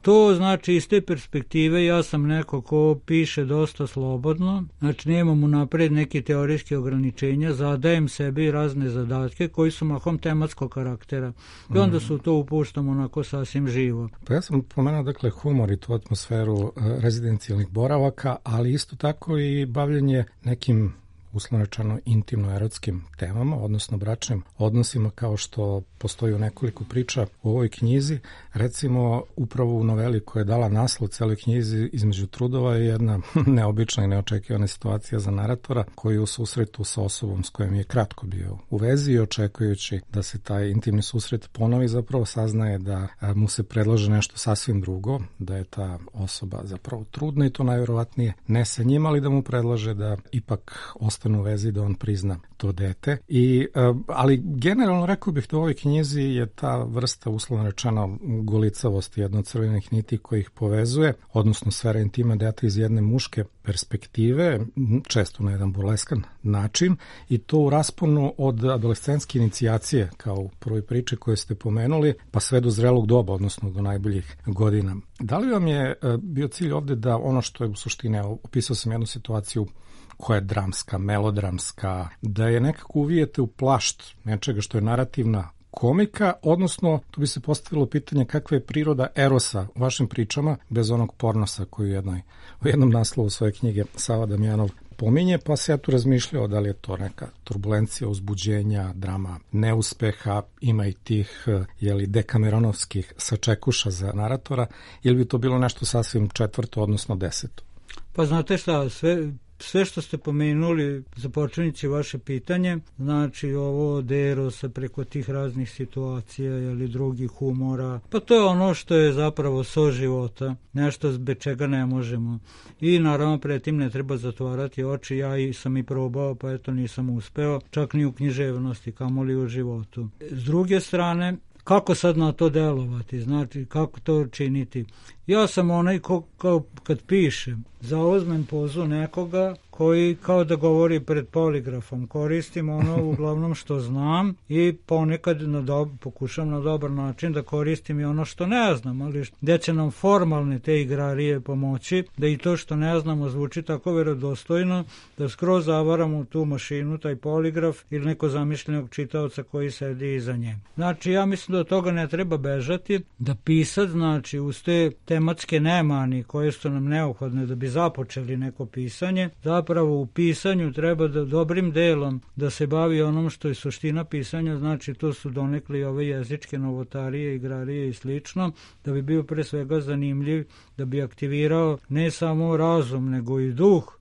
To znači iz te perspektive ja sam neko ko piše dosta slobodno, znači nemam unapred neke teorijske ograničenja, zadajem sebi razne zadatke koji su mahom tematskog karaktera i onda su to upuštam onako sasvim živo. Pa ja sam pomenuo dakle humor i tu atmosferu rezidencijalnih boravaka, ali isto tako i bavljenje nekim uslovno rečeno intimno-erotskim temama, odnosno bračnim odnosima, kao što postoji u nekoliko priča u ovoj knjizi. Recimo, upravo u noveli koja je dala naslov celoj knjizi Između trudova je jedna neobična i neočekivana situacija za naratora, koji je u susretu sa osobom s kojom je kratko bio u vezi i očekujući da se taj intimni susret ponovi, zapravo saznaje da mu se predlaže nešto sasvim drugo, da je ta osoba zapravo trudna i to najverovatnije ne sa njim, ali da mu predlaže da ipak ostane u vezi, da on prizna to dete. Ali generalno rekao bih da u ovoj knjizi je ta vrsta uslovno rečeno golicavosti, jedna od crvenih niti koji ih povezuje, odnosno sfera intima deta iz jedne muške perspektive, često na jedan burleskan način, i to u rasponu od adolescentske inicijacije, kao u prvoj priči koju ste pomenuli, pa sve do zrelog doba, odnosno do najboljih godina. Da li vam je bio cilj ovde da ono što je u suštini, opisao sam jednu situaciju koja je dramska, melodramska, da je nekako uvijete u plašt nečega što je narativna komika, odnosno tu bi se postavilo pitanje kakva je priroda erosa u vašim pričama bez onog pornosa koji u jednom naslovu svoje knjige Sava Damjanov pominje, pa se ja tu razmišljao da li je to neka turbulencija, uzbuđenja, drama neuspeha, ima i tih dekameronovskih sačekuša za naratora, ili bi to bilo nešto sasvim četvrto, odnosno deseto? Pa znate šta, sve što ste pomenuli, započinjući vaše pitanje, znači ovo od erosa preko tih raznih situacija ili drugih humora, pa to je ono što je zapravo so života, nešto bez čega ne možemo. I naravno pred tim ne treba zatvarati oči, ja sam i probao, pa eto nisam uspeo, čak ni u književnosti, kamoli u životu. S druge strane, kako sad na to delovati, znači kako to činiti? Ja sam onaj kao kad pišem, zauzmem pozu nekoga koji kao da govori pred poligrafom, koristim ono uglavnom što znam i ponekad pokušam na dobar način da koristim i ono što ne znam, ali gde će nam formalne te igrarije pomoći da i to što ne znamo zvuči tako verodostojno da skroz zavaramo tu mašinu, taj poligraf ili neko zamišljenog čitaoca koji sedi iza nje. Znači ja mislim da od toga ne treba bežati, da pisac znači uz te tematske nemani koje su nam neophodne da bi započeli neko pisanje, zapravo u pisanju treba da dobrim delom da se bavi onom što je suština pisanja, znači to su donekli ove jezičke novotarije, igrarije i slično, da bi bio pre svega zanimljiv, da bi aktivirao ne samo razum nego i duh,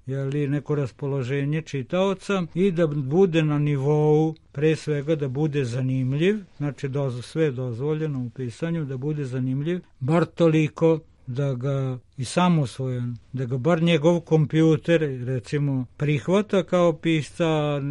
neko raspoloženje čitaoca i da bude na nivou, pre svega da bude zanimljiv, znači sve je dozvoljeno u pisanju, da bude zanimljiv, bar toliko da ga i samosvojan, da ga bar njegov kompjuter recimo prihvata kao pisca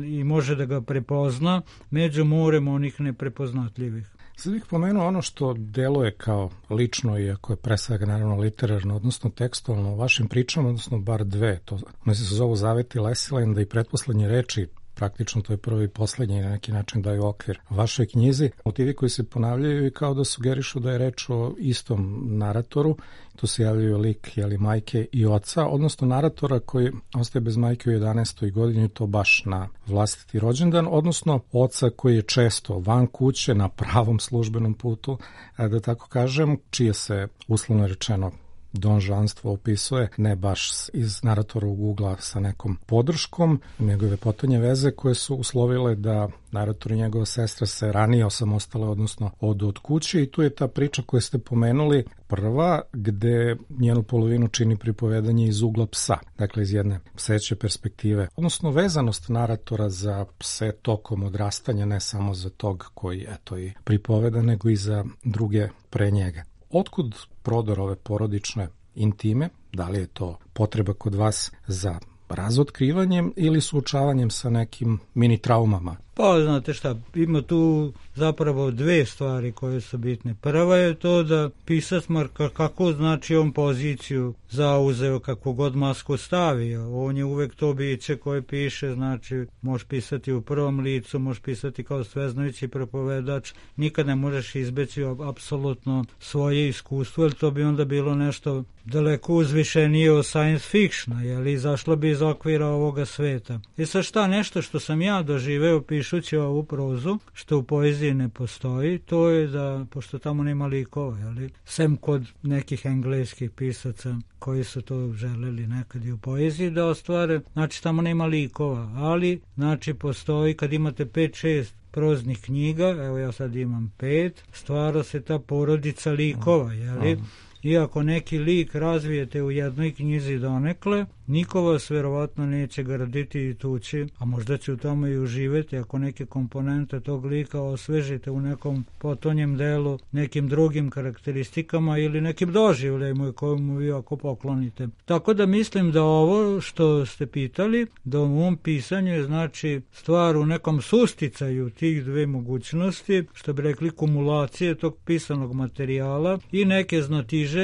i može da ga prepozna među morem onih neprepoznatljivih. Sad bih pomenuo ono što deluje kao lično, iako je pre svega naravno literarno, odnosno tekstualno u vašim pričama, odnosno bar dve, one se zovu Zaveti Lesilenda i Pretposlednje reči, praktično to je prvi i poslednji, na neki način daju okvir vašoj knjizi. Motivi koji se ponavljaju i kao da sugerišu da je reč o istom naratoru, tu se javljaju lik majke i oca, odnosno naratora koji ostaje bez majke u 11. godini, to baš na vlastiti rođendan, odnosno oca koji je često van kuće na pravom službenom putu, da tako kažem, čije se uslovno rečeno donžanstvo opisuje, ne baš iz naratorovog ugla sa nekom podrškom, njegove potonje veze koje su uslovile da narator i njegova sestra se ranije osamostale, odnosno odu od kuće, i tu je ta priča koju ste pomenuli prva, gde njenu polovinu čini pripovedanje iz ugla psa, dakle iz jedne pseće perspektive, odnosno vezanost naratora za pse tokom odrastanja, ne samo za tog koji i pripoveda, nego i za druge pre njega. Otkud prodor ove porodične intime? Da li je to potreba kod vas za razotkrivanjem ili suočavanjem sa nekim mini traumama? Pa, znate šta, ima tu zapravo dve stvari koje su bitne. Prva je to da pisac marka kako znači on poziciju zauzeo, kako god masku stavio. On je uvek to biće koje piše, znači možeš pisati u prvom licu, možeš pisati kao sveznajući propovedač, nikad ne možeš izbeći apsolutno svoje iskustvo, jer to bi onda bilo nešto daleko uzvišenije od science fictiona, jer izašlo bi iz okvira ovoga sveta. I sad šta, nešto što sam ja doživeo pišući ovu prozu, što u poeziji ne postoji, to je da, pošto tamo nema likova, jeli, sem kod nekih engleskih pisaca koji su to želeli nekad i u poeziji da ostvare, znači tamo nema likova, ali znači postoji, kad imate 5-6 proznih knjiga, evo ja sad imam 5, stvara se ta porodica likova, jeli? Iako neki lik razvijete u jednoj knjizi donekle, niko vas verovatno neće graditi i tući, a možda će u tome i uživeti ako neke komponente tog lika osvežite u nekom potonjem delu, nekim drugim karakteristikama ili nekim doživljajima kojemu vi ako poklonite. Tako da mislim da ovo što ste pitali, da u ovom pisanju je znači stvar u nekom susticaju tih dve mogućnosti, što bi rekli kumulacije tog pisanog materijala i neke znatiželje,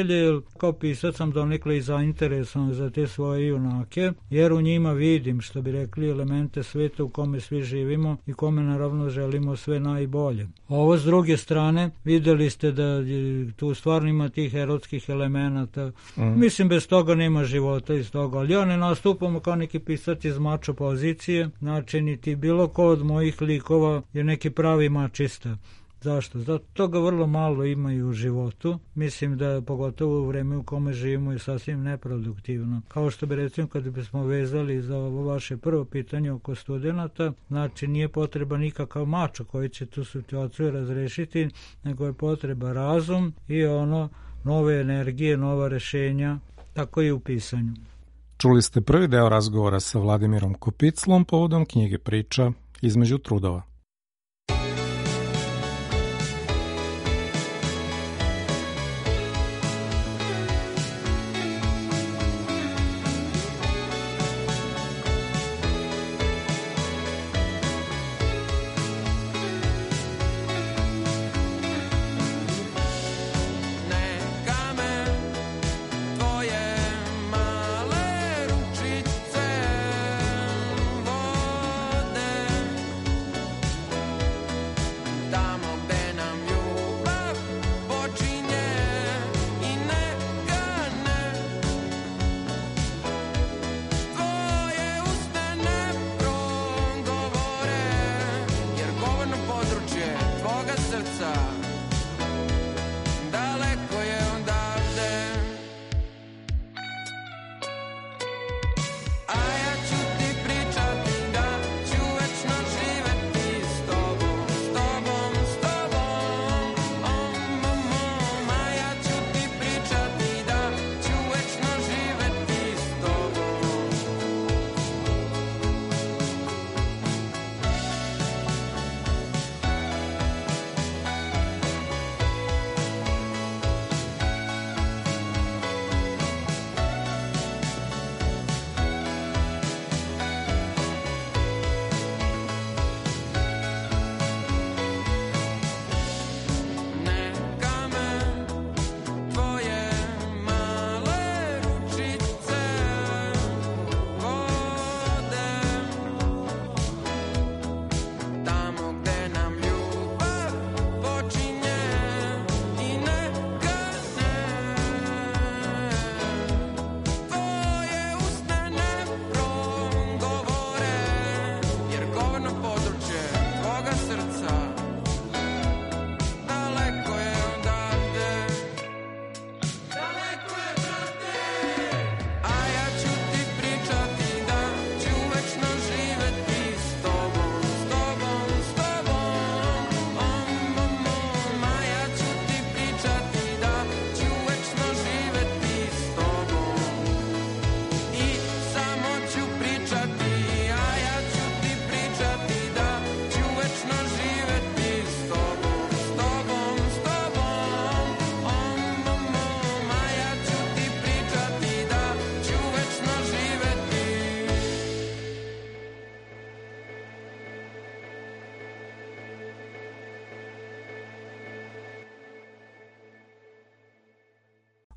kao pisac sam donekle i zainteresovan za te svoje junake, jer u njima vidim, što bi rekli, elemente sveta u kome svi živimo i kome naravno želimo sve najbolje. Ovo s druge strane, videli ste da tu stvarno ima tih erotskih elemenata. Mislim, bez toga nema života iz toga, ali ja ne nastupamo kao neki pisac iz mačo pozicije, znači niti bilo ko od mojih likova je neki pravi mačista. Zašto? Zato toga vrlo malo ima i u životu. Mislim da pogotovo u vreme u kome živimo je sasvim neproduktivno. Kao što bi recimo kad bismo vezali za ovo vaše prvo pitanje oko studenata, znači nije potreba nikakav mačo koji će tu situaciju razrešiti, nego je potreba razum i nove energije, nova rešenja, tako i u pisanju. Čuli ste prvi deo razgovora sa Vladimirom Kopiclom povodom knjige Priča između trudova.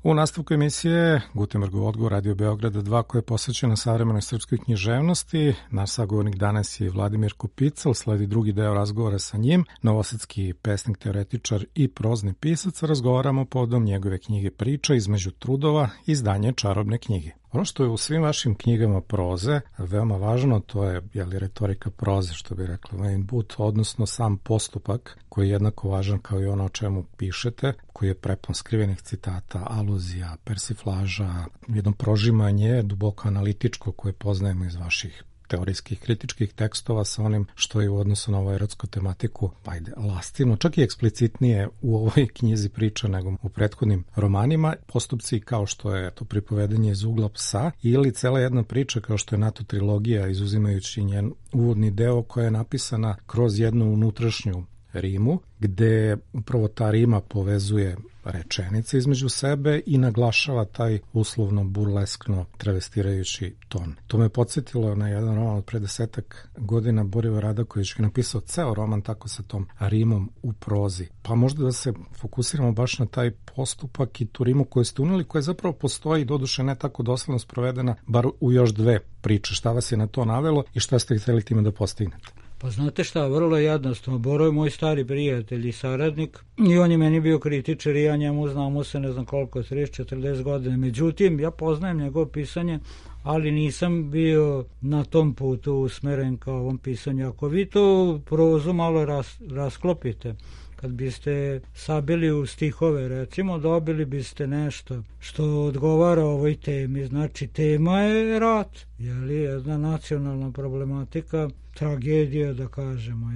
U nastavku emisije Gutenbergov odgovor Radio Beograda 2 koja je posvećena savremenoj srpskoj književnosti. Naš sagovornik danas je Vladimir Kopical, sledi drugi deo razgovora sa njim, novosadski pesnik, teoretičar i prozni pisac. Razgovaramo povodom njegove knjige Priča između trudova, izdanje Čarobne knjige. Ono što je u svim vašim knjigama proze veoma važno, to je retorika proze, što bi rekla Wayne Booth, odnosno sam postupak koji je jednako važan kao i ono o čemu pišete, koji je prepun skrivenih citata, aluzija, persiflaža, jedno prožimanje duboko analitičko koje poznajemo iz vaših teorijskih kritičkih tekstova sa onim što je u odnosu na ovu erotsku tematiku, lastivno, čak i eksplicitnije u ovoj knjizi Priča nego u prethodnim romanima. Postupci kao što je to pripovedanje iz ugla psa ili cela jedna priča kao što je NATO trilogija, izuzimajući njen uvodni deo koja je napisana kroz jednu unutrašnju rimu, gde upravo ta rima povezuje rečenice između sebe i naglašava taj uslovno burleskno travestirajući ton. To me podsjetilo na jedan roman od pre 10 godina, Borivoje Radaković je napisao ceo roman tako sa tom rimom u prozi. Pa možda da se fokusiramo baš na taj postupak i tu rimu koju ste uneli, koja zapravo postoji, doduše ne tako dosledno sprovedena, bar u još dve priče. Šta vas je na to navelo i šta ste hteli time da postignete? Pa znate šta, vrlo jednostavno. Boro je moj stari prijatelj i saradnik i on je meni bio kritičar i ja njemu znamo se ne znam koliko, 30-40 godina. Međutim, ja poznajem njegovo pisanje, ali nisam bio na tom putu usmeren kao ovom pisanju. Ako vi to prozu malo rasklopite, kad biste sabili u stihove, recimo, dobili biste nešto što odgovara ovoj temi. Znači, tema je rat, jedna nacionalna problematika, tragedija, da kažemo,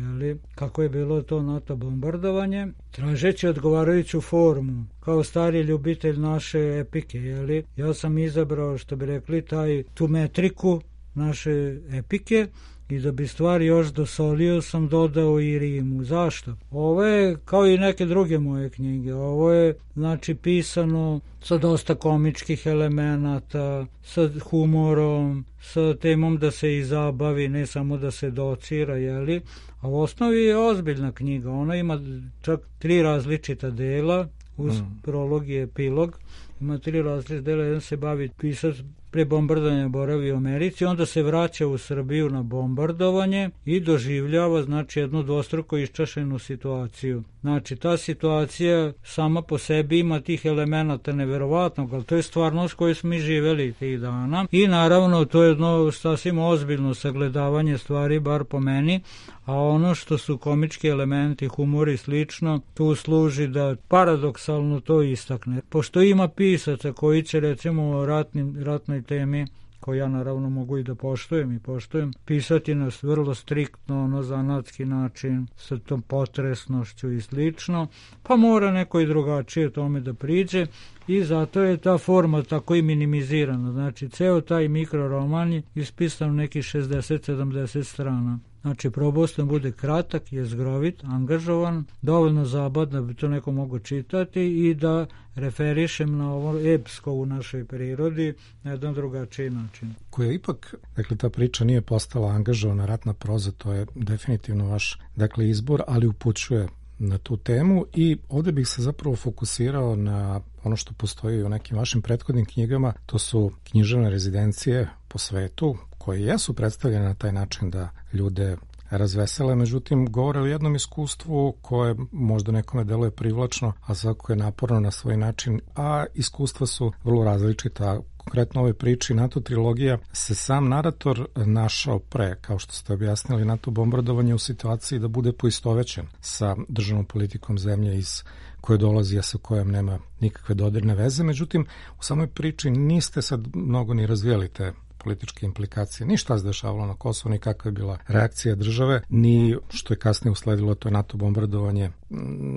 kako je bilo to NATO bombardovanje, tražeći odgovarajuću formu, kao stari ljubitelj naše epike, ja sam izabrao, što bi rekli, tu metriku naše epike, i da bi stvari još dosolio sam dodao i rimu. Zašto? Ovo je kao i neke druge moje knjige. Ovo je znači pisano sa dosta komičkih elemenata, sa humorom, sa temom da se i zabavi, ne samo da se docira, a u osnovi je ozbiljna knjiga. Ona ima čak 3 različita dela, uz prolog i epilog. Ima 3 različita dela, jedan se bavi pisac pre bombardovanja boravi u Americi, onda se vraća u Srbiju na bombardovanje i doživljava znači jednu dvostruko iščašenu situaciju. Znači ta situacija sama po sebi ima tih elemenata neverovatnog, ali to je stvarnost koju smo mi živeli tih dana i naravno to je jedno sasvim ozbiljno sagledavanje stvari, bar po meni, a ono što su komički elementi, humor i slično, tu služi da paradoksalno to istakne. Pošto ima pisaca koji će recimo o ratnoj temi, koju ja naravno mogu i da poštujem, pisati nas vrlo striktno, zanatski način, sa tom potresnošću i slično, pa mora neko i drugačije tome da priđe i zato je ta forma tako i minimizirana. Znači, ceo taj mikroroman je ispisan nekih 60-70 strana. Znači, probao sam bude kratak, jezgrovit, angažovan, dovoljno zabavan da bi to neko mogo čitati i da referišem na ovo epsko u našoj prirodi na jedan drugačiji način. Koja ipak, ta priča nije postala angažovana ratna proza, to je definitivno vaš, izbor, ali upućuje na tu temu i ovde bih se zapravo fokusirao na ono što postoji u nekim vašim prethodnim knjigama, to su književne rezidencije po svetu, koje jesu predstavljene na taj način da ljude razvesele, međutim govore o jednom iskustvu koje možda nekome deluje privlačno, a svako je naporno na svoj način, a iskustva su vrlo različita. Konkretno ove priči NATO trilogija se sam narator našao pre, kao što ste objasnili, NATO bombardovanje u situaciji da bude poistovećen sa državnom politikom zemlje iz koje dolazi, a sa kojom nema nikakve dodirne veze. Međutim, u samoj priči niste sad mnogo ni razvijali te političke implikacije, ni šta se dešavalo na Kosovu, ni kakva je bila reakcija države, ni što je kasnije usledilo to NATO bombardovanje,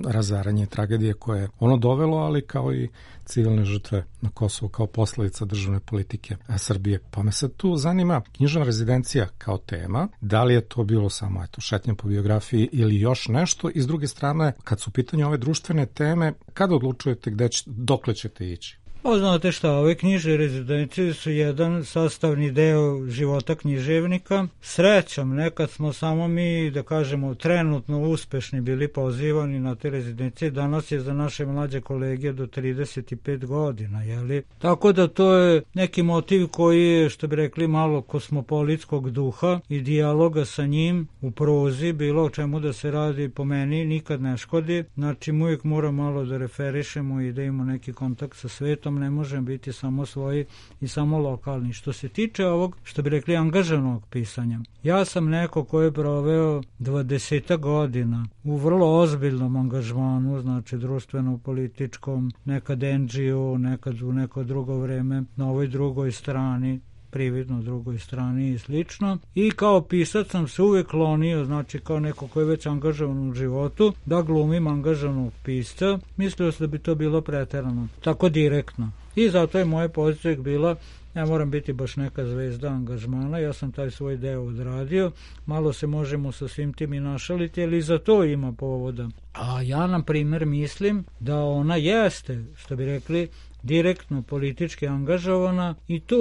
razaranje, tragedije koje je ono dovelo, ali kao i civilne žrtve na Kosovu kao posledica državne politike Srbije. Pa me sad tu zanima književna rezidencija kao tema, da li je to bilo samo šetnja po biografiji ili još nešto, i s druge strane, kad su u pitanju ove društvene teme, kada odlučujete dokle ćete ići? Pa znate šta, ove knjižne rezidencije su jedan sastavni deo života književnika. Srećom, nekad smo samo mi, da kažemo, trenutno uspešni bili pozivani na te rezidencije. Danas je za naše mlađe kolege do 35 godina, jeli? Tako da to je neki motiv koji je, što bi rekli, malo kosmopolitskog duha i dijaloga sa njim u prozi, bilo o čemu da se radi, po meni nikad ne škodi. Znači, uvijek mora malo da referišemo i da imamo neki kontakt sa svetom, ne možemo biti samo svoji i samo lokalni. Što se tiče ovog, što bi rekli, angažovanog pisanja, ja sam neko ko je proveo 20 godina u vrlo ozbiljnom angažmanu, znači društveno-političkom, nekad NGO, nekad u neko drugo vreme na ovoj drugoj strani, prividno drugoj strani i slično. I kao pisac sam se uvijek klonio, znači kao neko ko je već angažovan u životu, da glumim angažovanog pisca. Mislio sam da bi to bilo preterano, tako direktno. I zato je moja pozicija bila, ja moram biti baš neka zvezda angažmana, ja sam taj svoj deo odradio, malo se možemo sa svim tim i našaliti, ali i za to ima povoda. A ja, na primjer, mislim da ona jeste, što bi rekli, direktno politički angažovana i tu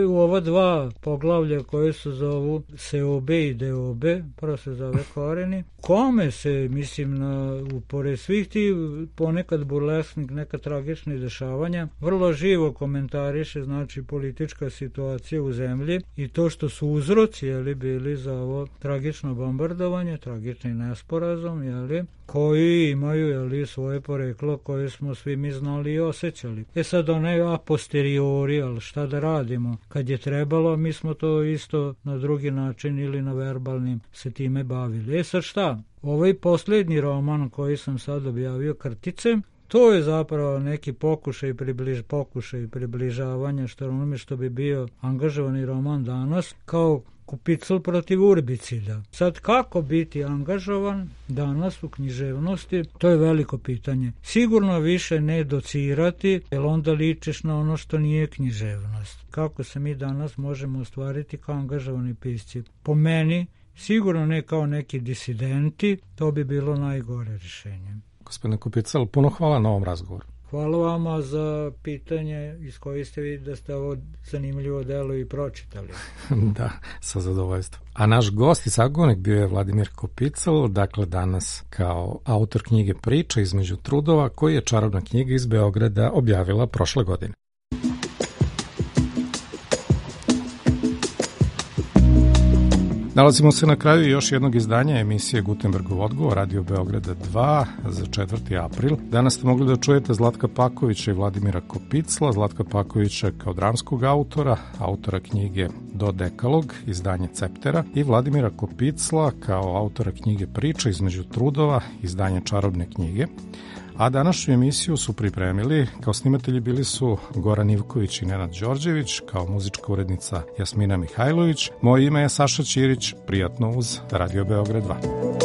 u ova dva poglavlja koje se zovu seobe i deobe, prvo se zove koreni, kome se, mislim, pored svih ti ponekad burlesknih, neka tragičnih dešavanja, vrlo živo komentariše, znači, politička situacija u zemlji i to što su uzroci, jeli, bili za ovo tragično bombardovanje, tragični nesporazum, jeli, koji imaju, jeli, svoje poreklo koje smo svi mi znali i osjećali. Sad onaj a posteriori, ali šta da radimo? Kad je trebalo, mi smo to isto na drugi način ili na verbalnim se time bavili. Sad šta? Ovaj posljednji roman koji sam sad objavio, Krtice, to je zapravo neki pokušaj približavanja što onome što bi bio angažovani roman danas, kao Kupicl protiv urbicida. Sad, kako biti angažovan danas u književnosti, to je veliko pitanje. Sigurno više ne docirati, jer onda ličiš na ono što nije književnost. Kako se mi danas možemo ostvariti kao angažovani pisci? Po meni, sigurno ne kao neki disidenti, to bi bilo najgore rješenje. Gospodine Kupicl, puno hvala na ovom razgovoru. Hvala vama za pitanje iz koje ste vidjeli da ste ovo zanimljivo delo i pročitali. Da, sa zadovoljstvom. A naš gost i sagovornik bio je Vladimir Kupicl, dakle danas kao autor knjige Priča između trudova, koji je čarobna knjiga iz Beograda objavila prošle godine. Nalazimo se na kraju još jednog izdanja emisije Gutenbergov odgovor, Radio Beograda 2 za 4. april. Danas ste mogli da čujete Zlatka Pakovića i Vladimira Kupicla. Zlatka Pakovića kao dramskog autora knjige Do dekalog, izdanje Ceptera, i Vladimira Kupicla kao autora knjige Priča između trudova, izdanje Čarobne knjige. A današnju emisiju su pripremili, kao snimatelji bili su Goran Ivković i Nenad Đorđević, kao muzička urednica Jasmina Mihajlović. Moje ime je Saša Ćirić, prijatno uz Radio Beograd 2.